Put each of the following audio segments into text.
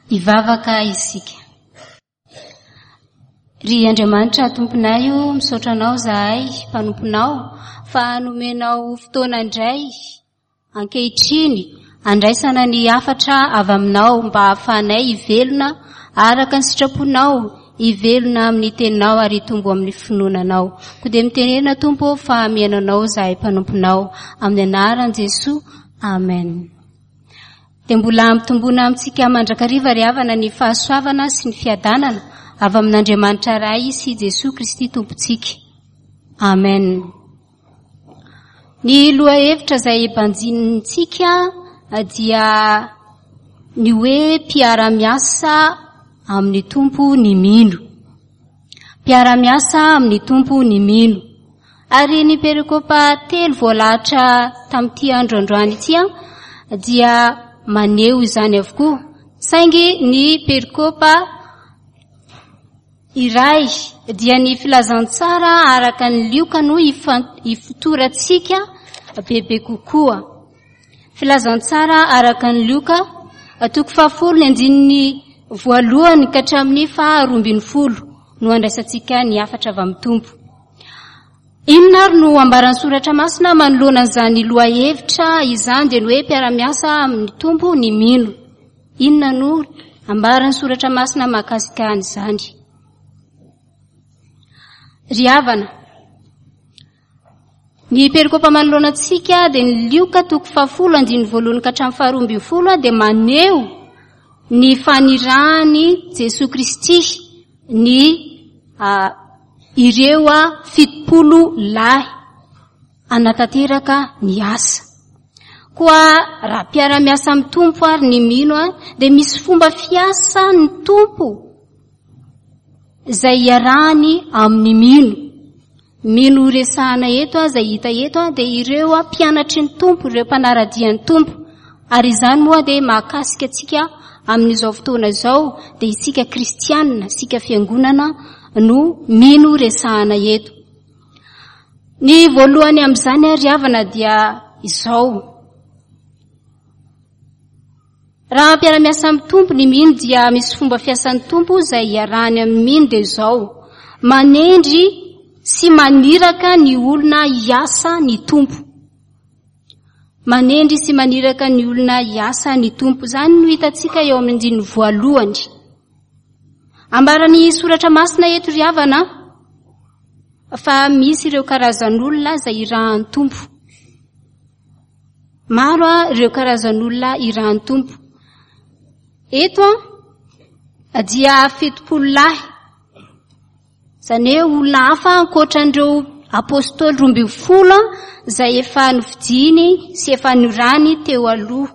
Hivavaka isika. Ry Andriamanitra Tomponay o, misaotra Anao izahay mpanomponao fa nomenao fotoana indray ankehitriny handraisana ny hafatra avy Aminao mba hahafahanay hivelona araka ny sitraponao, hivelona amin'ny teninao ary hitombo amin'ny finoana Anao. Koa dia mitenena Tompo ô fa mihaino Anao izahay mpanomponao. Amin'ny anaran'i Jesoa. Amen. Dia mbola hampitomboina amintsika mandrakariva ry havana ny fahasoavana sy ny fiadanana avy amin'Andriamanitra Ray sy Jesoa Kristy Tompontsika. Amen. Ny lohahevitra izay banjinintsika dia ny hoe mpiara-miasa amin'ny Tompo ny mino. Mpiara-miasa amin'ny Tompo ny mino. Ary ny perikopa telo voalahatra tamin'ity andro androany ity dia maneho izany avokoa. Saingy ny perikopa iray dia ny filazantsara araka ny Lioka no ifotorantsika bebe kokoa. Filazantsara araka an'i Lioka, toko fahafolo ny andininy voalohany ka hatramin'ny faha 12 no andraisantsika ny hafatra avy amin'ny Tompo. Inona ary no ambaran'ny Soratra Masina manoloana an'izany lohahevitra izany dia ny hoe mpiara-miasa amin'ny Tompo ny mino. Inona no ambaran'ny Soratra Masina mahakasika an'izany? Ry havana, Ny perikopa manoloana antsika dia ny Lioka toko fahafolo andininy voalohany ka hatramin'ny faharoa ambin'ny folo dia maneho ny fanirahan'i Jesoa Kristy ny ireo 70 lahy hanatanteraka ny asa. Koa raha mpiara-miasa amin'ny Tompo ary ny mino dia misy fomba fiasa ny Tompo izay iarahany amin'ny mino. Mino resahana eto izay hita eto dia ireo mpianatry ny Tompo, ireo mpanara-dia ny Tompo. Ary izany moa dia mahakasika antsika amin'izao fotoana izao, dia isika kristianina, isika fiangonana no mino resahana eto. Ny voalohany amin'izany ary havana dia izao. Raha mpiara-miasa amin'ny Tompo ny mino dia misy fomba fiasan'ny Tompo izay iarahany amin'ny mino dia izao, manendry sy maniraka ny olona hiasa ny Tompo. Manendry sy maniraka ny olona hiasa ny Tompo. Izany no hitantsika eo amin'ny andininy voalohany. Ambaran'ny soratra masina eto ry havana fa misy ireo karazan'olona izay irahan'ny Tompo. Maro ireo karazan'olona irahan'ny Tompo. Eto dia 70 lahy, izany hoe olona hafa ankoatran'ireo apôstôly 12 izay efa nofidiny sy efa norany teo aloha.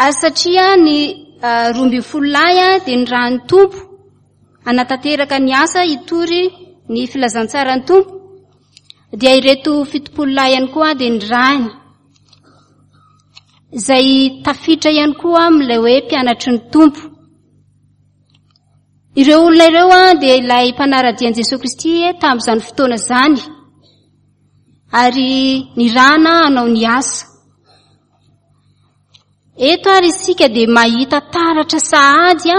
Ary satria ny 12 lahy dia nirahan'ny Tompo hanatanteraka ny asa hitory ny filazantsaran'ny Tompo, dia ireto 70 lahy ihany koa dia nirahiny, izay tafiditra ihany koa amin'ilay hoe mpianatry ny Tompo. Ireo olona ireo dia ilay mpanara-dia an'i Jesoa Kristy tamin'izany fotoana izany, ary nirahana hanao ny asa. Eto ary isika dia mahita taratra sahady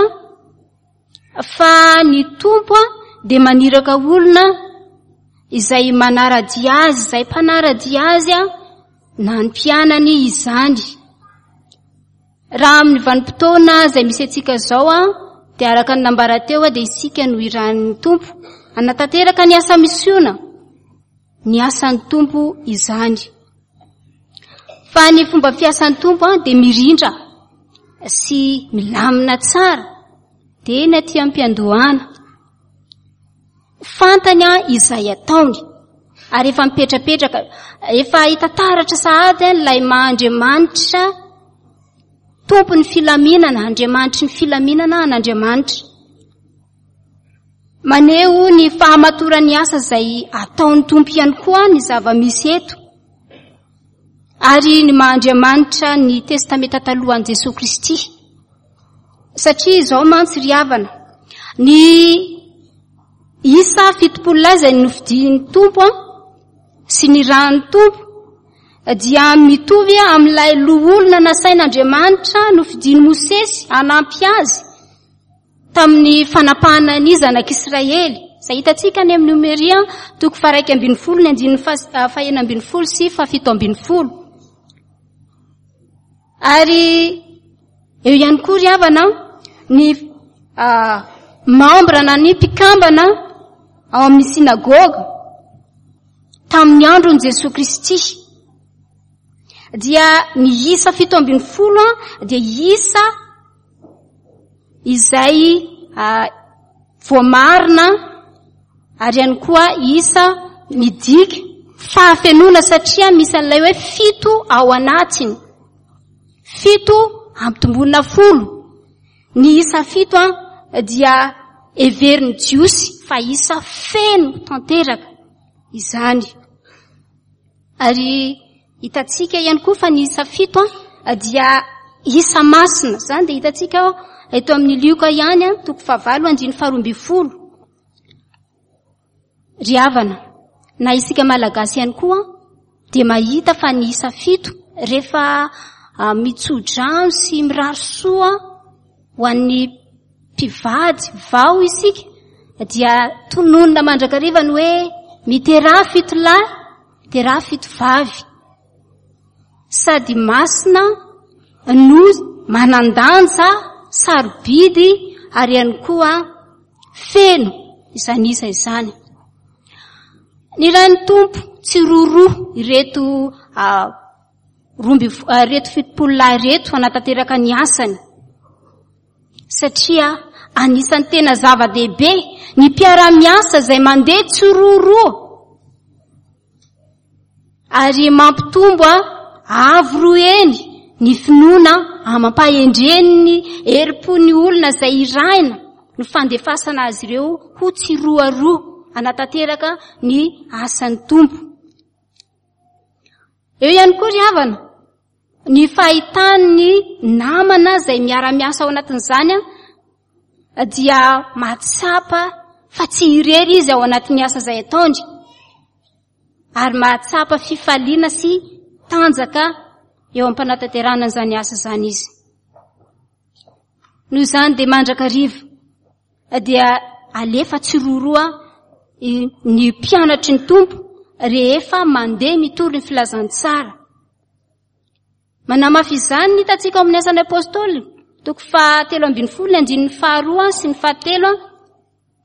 fa ny Tompo dia maniraka olona izay manara-dia azy, izay mpanara-dia azy na ny mpianany izany. Raha amin'ny vanim-potoana izay misy antsika izao dia araka ny nambara teo dia isika no irahan'ny Tompo hanatanteraka ny asa misiona, ny asan'ny Tompo izany. Fa ny fomba fiasan'ny Tompo dia mirindra sy milamina tsara dia ny aty am-piandohana. Fantany izay ataony ary efa mipetrapetraka, efa hita taratra sahady ilay maha Andriamanitra Tompon'ny filaminana, Andriamanitry ny filaminana an'Andriamanitra. Maneho ny fahamatoran'ny asa izay ataon'ny Tompo ihany koa ny zava-misy eto. Ary ny maha Andriamanitra ny Testamenta Taloha an'i Jesoa Kristy. Satria izao mantsy ry havana, ny isa 70 lahy izay nofidian'ny Tompo sy ny ran'ny Tompo. dia mitovy amin'ilay loholona nasain'Andriamanitra nofidin'i Mosesy hanampy azy tamin'ny fanapahana ny zanak'Israely. Izay hitantsika any amin'ny Nomeria toko faharaika ambin'ny folo ny andininy fahenina ambin'ny folo sy fahafito ambin'ny folo. Ary eo ihany koa ry havana ny membre na ny mpikambana ao amin'ny synagoga tamin'ny andron'i Jesoa Kristy. Dia ny isa 17 dia isa izay voamarina ary ihany koa isa midika fahafenoana satria misy an'ilay hoe fito ao anatiny. Fito ampitomboina folo. Ny isa fito dia heverin'ny Jiosy fa isa feno tanteraka izany. Ary hitantsika ihany koa fa ny isa fito dia isa masina. Izany dia hitantsika eto amin'ny Lioka ihany, toko fahavalo andininy faharoa ambin'ny folo. Ry havana, na isika Malagasy ihany koa dia mahita fa ny isa fito rehefa mitso-drano sy mirary soa ho an'ny mpivady vao isika dia tononina mandrakariva ny hoe miteraha fito lahy, miteraha fito vavy. Sady masina no manan-danja, sarobidy ary ihany koa feno izany isa izany. Ny rain'ny Tompo tsy roroa ireto roa amby ireto fitopolo lahy ireto hanatanteraka ny asany. Satria anisan'ny tena zava-dehibe ny mpiara-miasa izay mandeha tsiroroa ary mampitombo avo roa heny ny finoana amam-pahendren'ny herim-pon'ny olona izay irahina ny fandefasana azy ireo ho tsiroaroa hanatanteraka ny asan'ny Tompo. Eo ihany koa ry havana, ny fahitan'ny namana izay miara-miasa ao anatin'izany dia mahatsapa fa tsy irery izy ao anatin'ny asa izay ataony ary mahatsapa fifaliana sy tanjaka eo am-panatanterahana an'izany asa izany izy. Noho izany dia mandrakariva dia alefa tsiroaroa ny mpianatry ny Tompo rehefa mandeha mitory ny filazantsara. Manamafy izany ny hitantsika ao amin'ny Asan'ny Apôstôly, toko fahatelo ambin'ny folo, ny andininy faharoa sy ny fahatelo,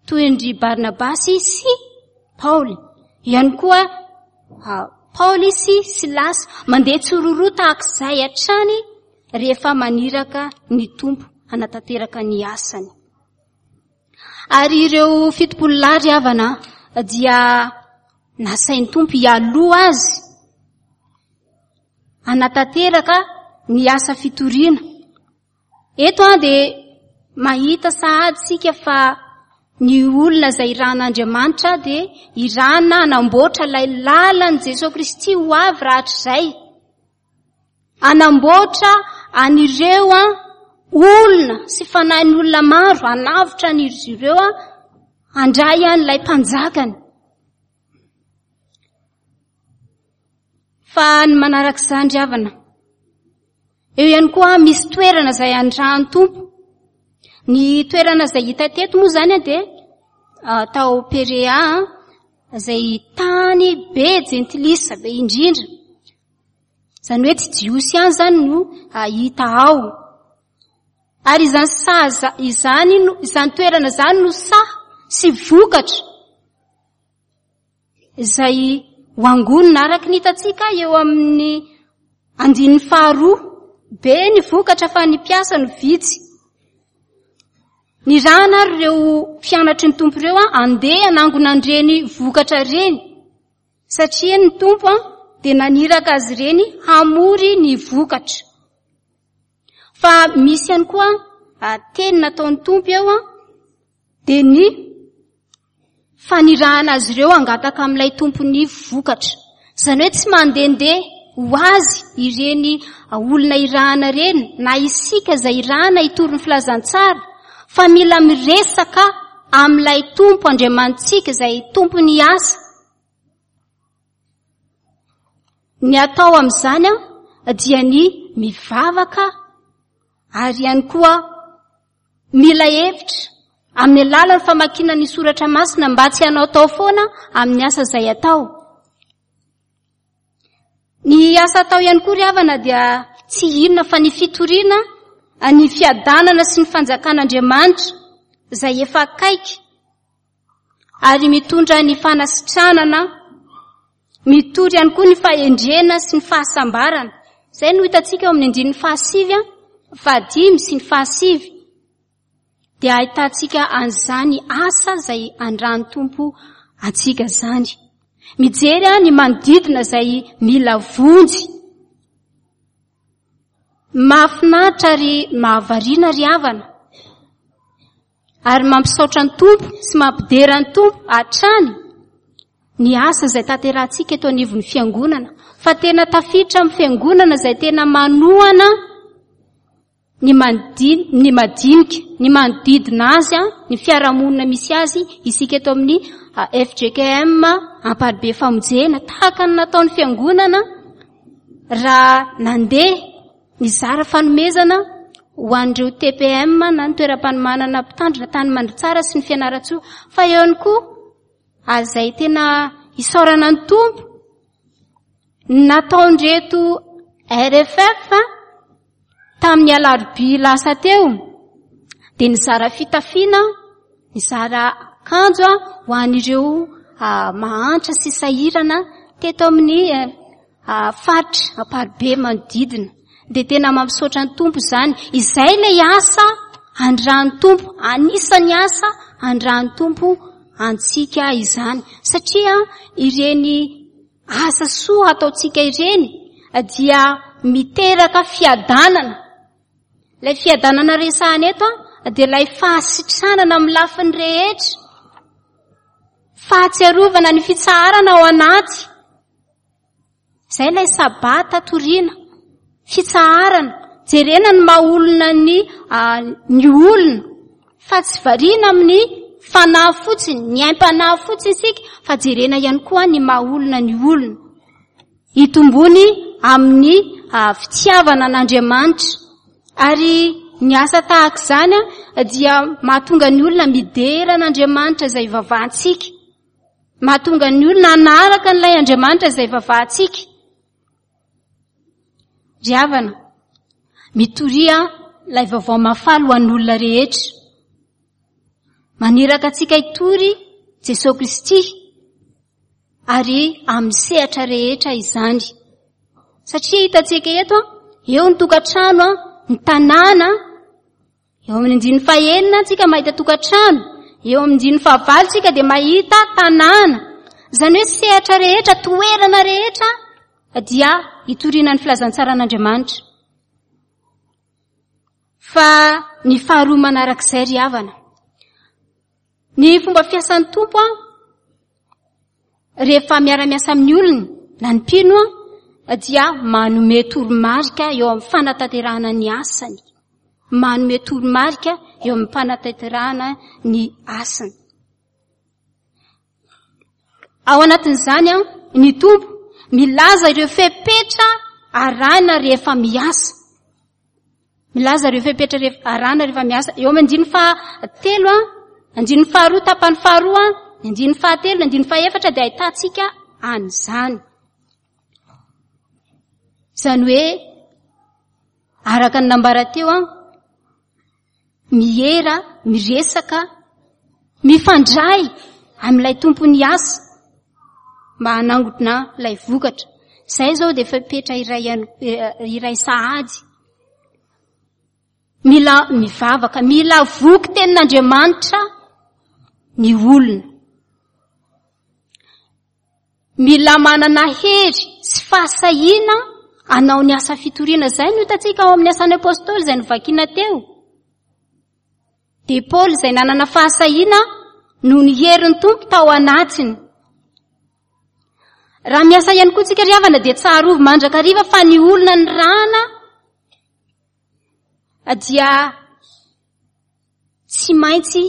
toy an-dry Barnabasy sy Paoly. Ihany koa Paoly sy Silasy mandeha tsiroaroa tahaka izay hatrany rehefa maniraka ny Tompo hanatanteraka ny asany. Ary ireo fitopolo lahy ry havana dia nasain'ny Tompo hialoha azy hanatanteraka ny asa fitoriana. Eto an dia mahita sahady isika fa ny olona izay irahan'Andriamanitra dia irahana hanamboatra ilay lalan'i Jesoa Kristy ho avy rahatrizay. Hanamboatra an'ireo an olona sy fanahin'olona maro, hanavotra an'izy ireo an, handray an'ilay mpanjakany. Fa ny manaraka izany ry havana, eo ihany koa misy toerana izay andrahan'ny Tompo. Ny toerana izay hita teto moa izany dia tao Perea, izay tany be jentilisa be indrindra. Izany hoe tsy Jiosy ihany izany no hita ao. Ary izany saha izany no, izany toerana izany no saha sy vokatra izay ho angonina araka ny hitantsika eo amin'ny andininy faharoa. Be ny vokatra fa ny mpiasa no vitsy. Nirahana ary ireo mpianatry ny Tompo ireo handeha hanangona an'ireny vokatra ireny. Satria ny Tompo dia naniraka azy ireny hamory ny vokatra. Fa misy ihany koa teny nataon'ny Tompo eo dia ny fanirahana azy ireo hangataka amin'ilay Tompon'ny vokatra. Izany hoe tsy mandehandeha ho azy ireny olona irahana ireny na isika izay irahana hitory ny filazantsara fa mila miresaka amin'ilay Tompo Andriamanitsika izay Tompon'ny asa. Ny atao amin'izany dia ny mivavaka ary ihany koa mila hevitra amin'ny alalan'ny famakiana ny soratra masina mba tsy hanaotao foana amin'ny asa izay atao. Ny asa atao ihany koa ry havana dia tsy inona fa ny fitoriana ny fiadanana sy ny fanjakan'Andriamanitra izay efa akaiky ary mitondra ny fanasitranana, mitory ihany koa ny fahendrena sy ny fahasambarana. Izay no hitantsika eo amin'ny andininy fahasivy, fahadimy sy ny fahasivy. Dia ahitantsika an'izany asa izay andran'ny Tompo antsika izany. Mijery ny manodidina izay mila vonjy. Mahafinaritra ary mahavariana ry havana. Ary mampisaotra ny Tompo sy mampidera ny Tompo hatrany ny asa izay tanterahantsika eto anivon'ny fiangonana. Fa tena tafiditra amin'ny fiangonana izay tena manohana ny ny madinika, ny manodidina azy, ny fiarahamonina misy azy, isika eto amin'ny fjkm Amparibe Famonjena, tahaka ny nataon'ny fiangonana raha nandeha nizara fanomezana ho an'ireo TPM na ny toeram-panomanana mpitandrina tany Mandritsara sy ny Fianarantsoa, fa eo ihany koa ary izay tena isaorana ny Tompo nataon'ireto RFF tamin'ny alarobia lasa teo dia nizara fitafiana, nizara akanjo ho an'ireo mahantra sy sahirana teto amin'ny faritra Amparibe manodidina. Dia tena mampisaotra ny Tompo izany. Izay ilay asa andran'ny Tompo, anisan'ny asa andran'ny Tompo antsika izany. Satria ireny asa soa ataontsika ireny dia miteraka fiadanana. Ilay fiadanana resahana eto dia ilay fahasitranana amin'ny lafiny rehetra. Fahatsiarovana ny fitsaharana ao anaty. Izay ilay sabata toriana, fitsaharana, jerena ny maha olona ny ny olona fa tsy variana amin'ny fanahy fotsiny, ny aim-panahy fotsiny isika fa jerena ihany koa ny maha olona ny olona. Hitombony amin'ny fitiavana an'Andriamanitra. Ary ny asa tahaka izany dia mahatonga ny olona midera an'Andriamanitra izay ivavahantsika. Mahatonga ny olona hanaraka an'ilay Andriamanitra izay vavahantsika. Ry havana, mitoria ilay vaovao mahafaly ho an'ny olona rehetra. Maniraka antsika hitory Jesosy Kristy ary amin'ny sehatra rehetra izany. Satria hitantsika eto, eo ny tokantrano, ny tanàna, Eo amin'ny andininy fahenina tsika mahita tokantrano, eo amin'ny andininy fahavalo tsika dia mahita tanàna. Izany hoe sehatra rehetra, toerana rehetra dia hitoriana ny filazantsaran'Andriamanitra. Fa ny faharoa manarak'izay ry havana. Ny fomba fiasan'ny Tompo an, rehefa miara-miasa amin'ny olony na ny mpino an, dia manome toromarika eo amin'ny fanatanterahana ny asany. Manome toromarika eo amin'ny fanatanterahana ny asany. Ao anatin'izany an, ny Tompo milaza ireo fepetra arahina rehefa miasa. Milaza ireo fepetra rehefa arahina rehefa miasa. Eo amin'ny andininy fahatelo an, andininy faharoa tapany faharoa, ny andininy fahatelo, ny andininy fahefatra dia ahitantsika an'izany. Izany hoe araka ny nambara teo an, miera, miresaka, mifandray amin'ilay tompon'ny asa mba hanangona ilay vokatra. Izay izao dia fepetra iray ihany, iray sahady. Mila mivavaka, mila voky tenin'Andriamanitra ny olona. Mila manana hery sy fahasahiana hanao ny asa fitoriana. Izay no hitantsika ao amin'ny asan'ny Apôstôly izay novakiana teo. Dia Paoly izay nanana fahasahiana noho ny herin'ny Tompo tao anatiny. Raha miasa ihany koa tsika ry havana dia tsarovy mandrakariva fa ny olona nirahana dia Tsy maintsy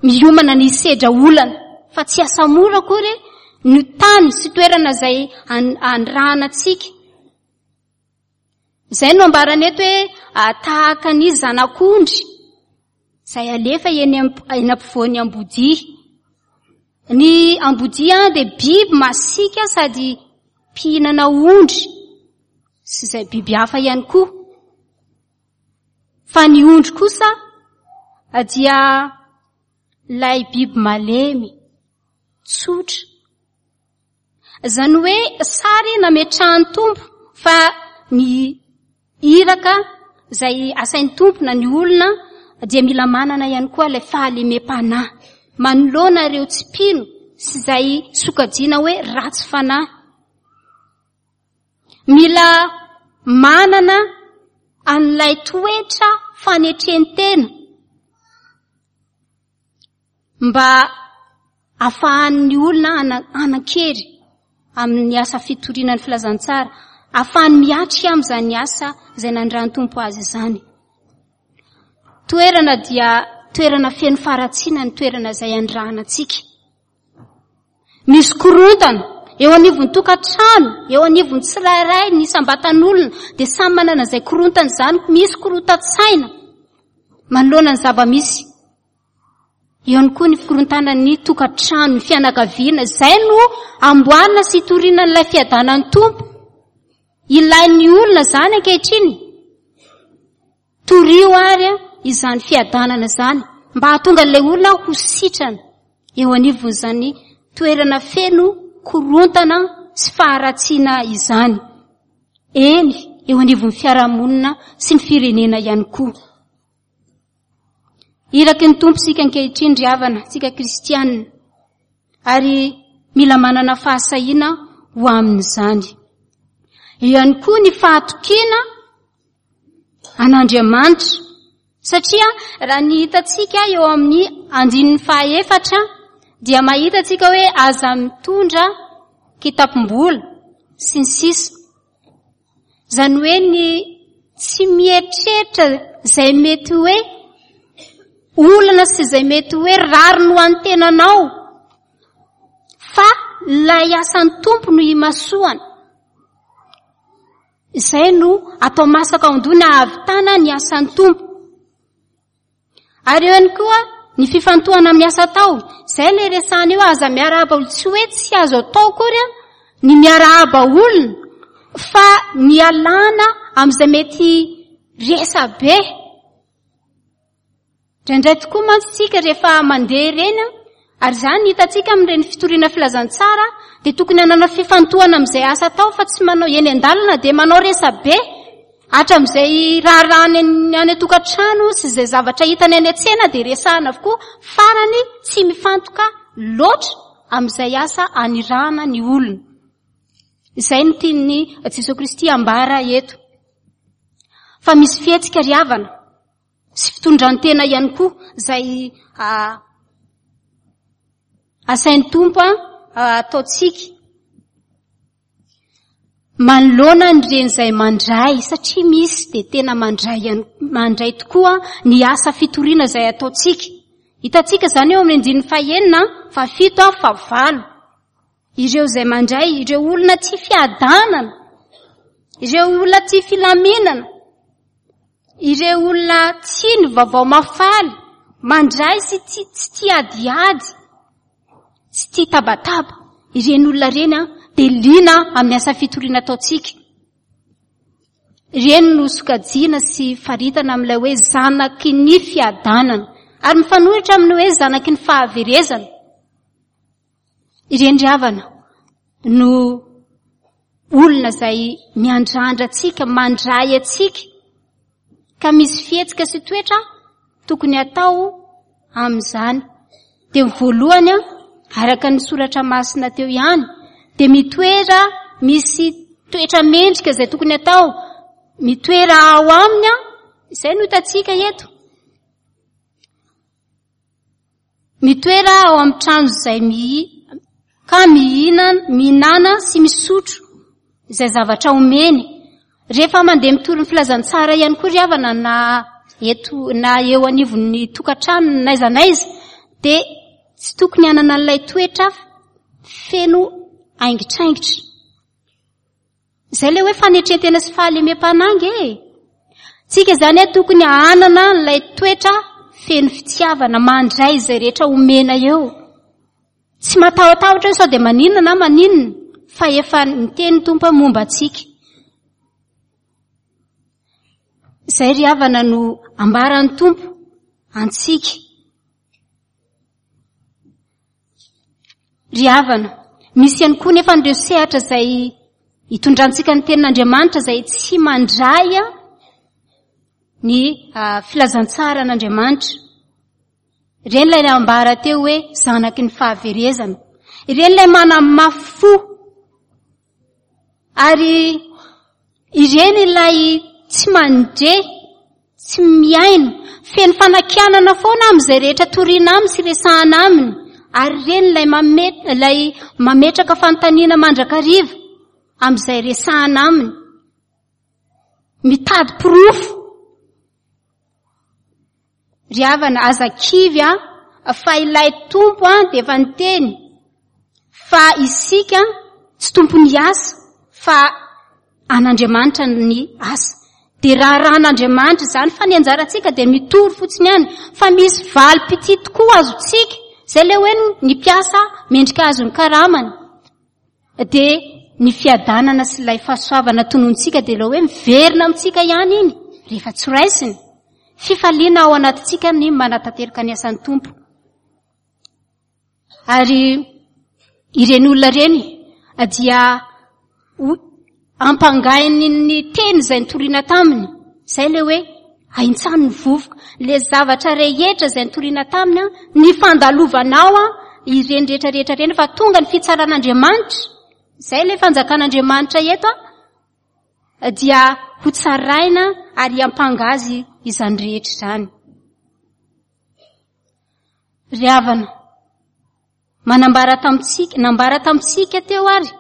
miomana ny hisedra olana, fa tsy asa mora akory ny tany sy toerana izay anirahana antsika. Izay no ambarany eto hoe tahaka ny zanak'ondry izay alefa eny ampovoan'ny ambodia. Ny ambodia dia biby masiaka sady mpihinana ondry sy izay biby hafa ihany koa. Fa ny ondry kosa dia ilay biby malemy, tsotra. Izany hoe sary nametrahan'ny Tompo fa ny iraka izay asain'ny Tompo na ny olona dia mila manana ihany koa ilay fahalemem-panahy manoloana ireo tsy mpino sy izay sokajiana hoe ratsy fanahy. Mila manana an'ilay toetra fanetren-tena mba afahan'ny olona hanan-kery amin'ny asa fitoriana ny filazantsara, afahany miatrika amin'izany asa izay nandran'ny Tompo azy izany. Toerana dia toerana feno faharatsiana ny toerana izay andrahana antsika. Misy korontana eo anivon'ny tokantrano, eo anivon'ny tsirairay, ny isam-batan'olona dia samy manana izay korontana izany, misy korontan-tsaina manoloana ny zava-misy. Eo ihany koa ny fikorontanan'ny tokantrano, ny fianakaviana. Izay no amboarina sy itoriana an'ilay fiadanan'ny Tompo. Ilain'ny olona izany ankehitriny. Torio ary izany fiadanana izany mba hahatonga an'ilay olona ho sitrana eo anivon'izany toerana feno korontana sy faharatsiana izany. Eny, eo anivon'ny fiarahamonina sy ny firenena ihany koa. Iraky ny Tompo isika ankehitriny ry havana, isika kristianina, ary mila manana fahasahiana ho amin'izany. Eo ihany koa ny fahatokiana an'Andriamanitra, satria raha ny hitantsika eo amin'ny andininy fahaefatra dia mahita antsika hoe aza mitondra kitapom-bola sy ny sisa. Izany hoe ny tsy mieritreritra izay mety hoe olana sy izay mety hoe rariny ho an'ny tenanao fa ilay asan'ny Tompo no imasoana. Izay no atao masaka ao an-doha na hahavitana ny asan'ny Tompo. Ary eo ihany koa ny fifantohana amin'ny asa atao. Izay ilay resahana io, aza miarahaba olona. Tsy hoe tsy azo atao akory ny miarahaba olona, fa ny alana amin'izay mety resabe. Indraindray tokoa mantsy isika rehefa mandeha ireny, ary izany hitantsika amin'ireny fitoriana filazantsara, dia tokony hanana fifantohana amin'izay asa atao fa tsy manao eny an-dalana dia manao resabe. Hatramin'izay raharahany any an-tokantrano sy izay zavatra hitany any an-tsena dia resahana avokoa, farany tsy mifantoka loatra amin'izay asa anirahana ny olona. Izay no tian'i Jesoa Kristy ambara eto. Fa misy fihetsika ry havana sy fitondran-tena ihany koa izay asain'ny Tompo ataontsika. Manoloana an'ireny izay mandray, satria misy dia tena mandray ihany, mandray tokoa ny asa fitoriana izay ataontsika. Hitantsika izany eo amin'ny andininy fahenina, fahafito, fahavalo. Ireo izay mandray, ireo olona tia fiadanana, ireo olona tia filaminana, ireo olona tia ny vaovao mahafaly, mandray sy tsy tia adiady. tsy tia tabataba, ireny olona ireny an, dia liana amin'ny asa fitoriana ataontsika. Ireny no sokajiana sy faritana amin'ilay hoe zanaky ny fiadanana, ary mifanohitra amin'ny hoe zanaky ny fahaverezana. Ireny ry havana no olona izay miandrandra antsika, mandray antsika, ka misy fihetsika sy toetra tokony hatao amin'izany. Dia ny voalohany, araka ny soratra masina teo ihany, dia mitoera misy toetra mendrika izay tokony hatao, mitoera ao aminy, izay no hitantsika eto. Mitoera ao amin'ny trano izay mihi, ka mihinana, mihinana sy misotro izay zavatra omeny. Rehefa mandeha mitory ny filazantsara ihany koa ry havana na eto na eo anivon'ny tokantrano n'aiza n'aiza dia tsy tokony hanana an'ilay toetra feno aingitraingitra. Izay ilay hoe fanetren-tena sy fahalemem-panahy nge e. Tsika izany a tokony hanana ilay toetra feno fitiavana, mandray izay rehetra omena eo. Tsy matahotahotra hoe sao dia maninona na maninona, fa efa niteny ny Tompo momba antsika. Izay ry havana no ambaran'ny Tompo antsika. Ry havana, misy ihany koa nefa ireo sehatra izay itondrantsika ny tenin'Andriamanitra izay tsy mandray ny filazantsaran'Andriamanitra. Ireny ilay nambara teo hoe zanaky ny fahaverezana. Ireny ilay manamafy fo. Ary ireny ilay tsy mandre, tsy mihaino, feno fanakianana foana amin'izay rehetra toriana aminy sy resahana aminy. Ary ireny ilay mame-, ilay mametraka fanontaniana mandrakariva amin'izay resahana aminy. Mitady porofo. Ry havana, aza kivy an, fa ilay Tompo an dia efa niteny fa isika tsy tompon'ny asa fa an'Andriamanitra ny asa. Dia raharahan'Andriamanitra izany fa ny anjarantsika dia mitory fotsiny ihany fa misy valim-pitia tokoa azontsika. Izay ilay hoe ny mpiasa mendrika azo ny karamany. Dia ny fiadanana sy ilay fahasoavana tonontsika dia ilay hoe miverina amintsika ihany iny rehefa tsy raisiny. Fifaliana ao anatintsika ny manatanteraka ny asan'ny Tompo. Ary ireny olona ireny dia ampangainy ny teny izay nitoriana taminy. Izay ilay hoe ahintsany ny vovoka. Ilay zavatra rehetra izay nitoriana taminy, ny fandalovanao ireny rehetra rehetra ireny fa tonga ny fitsaran'Andriamanitra. Izay ilay fanjakan'Andriamanitra eto dia ho tsaraina ary hiampanga azy izany rehetra izany. Ry havana, Manambara tamintsika, nambara tamintsika teo ary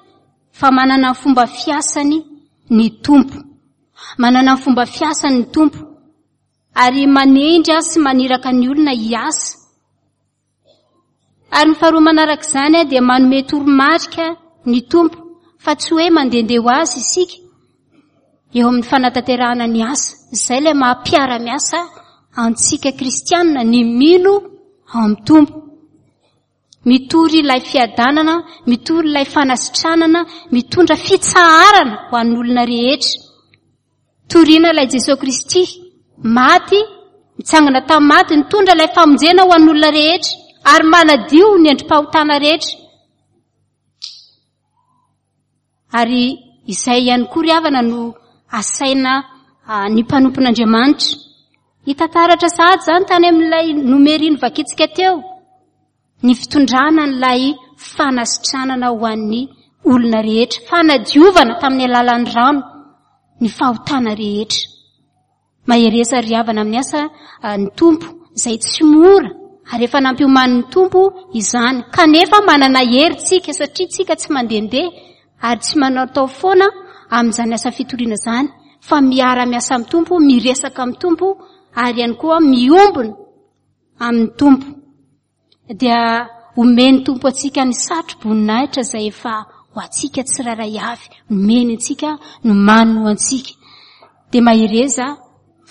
fa manana ny fomba fiasany ny Tompo. Manana ny fomba fiasany ny Tompo ary manendry sy maniraka ny olona hiasa. Ary ny faharoa manaraka izany dia manome toromarika ny Tompo fa tsy hoe mandehandeha ho azy isika eo amin'ny fanatanterahana ny asa. Izay ilay maha mpiara-miasa antsika kristianina, ny mino ao amin'ny Tompo. Mitory ilay fiadanana, mitory ilay fanasitranana, mitondra fitsaharana ho an'ny olona rehetra. Torina ilay Jesoa Kristy, maty, nitsangana tamin'ny maty, nitondra ilay famonjena ho an'ny olona rehetra, ary manadio ny endri-pahotana rehetra. Ary izay ihany koa ry havana no asaina ny mpanompon'Andriamanitra. Hita taratra sahady izany tany amin'ilay nomeriny vakitsika teo, ny fitondrana an'ilay fanasitranana ho an'ny olona rehetra, fanadiovana tamin'ny alalan'ny rano ny fahotana rehetra. Mahereza ry havana amin'ny asa ny Tompo izay tsy mora ary efa nampiomanin'ny Tompo izany. Kanefa manana hery tsika satria tsika tsy mandehandeha ary tsy manaotao foana amin'izany asa fitoriana izany fa miara-miasa amin'ny Tompo, miresaka amin'ny Tompo ary ihany koa miombona amin'ny Tompo. Dia omen'ny Tompo antsika ny satro-boninahitra izay efa ho antsika tsirairay avy. Nomeny antsika, nomaniny ho antsika. Dia mahereza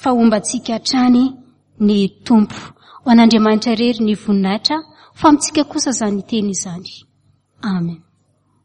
fa homba antsika hatrany ny Tompo. Ho an'Andriamanitra irery ny voninahitra, fa amintsika kosa izany teny izany. Amen.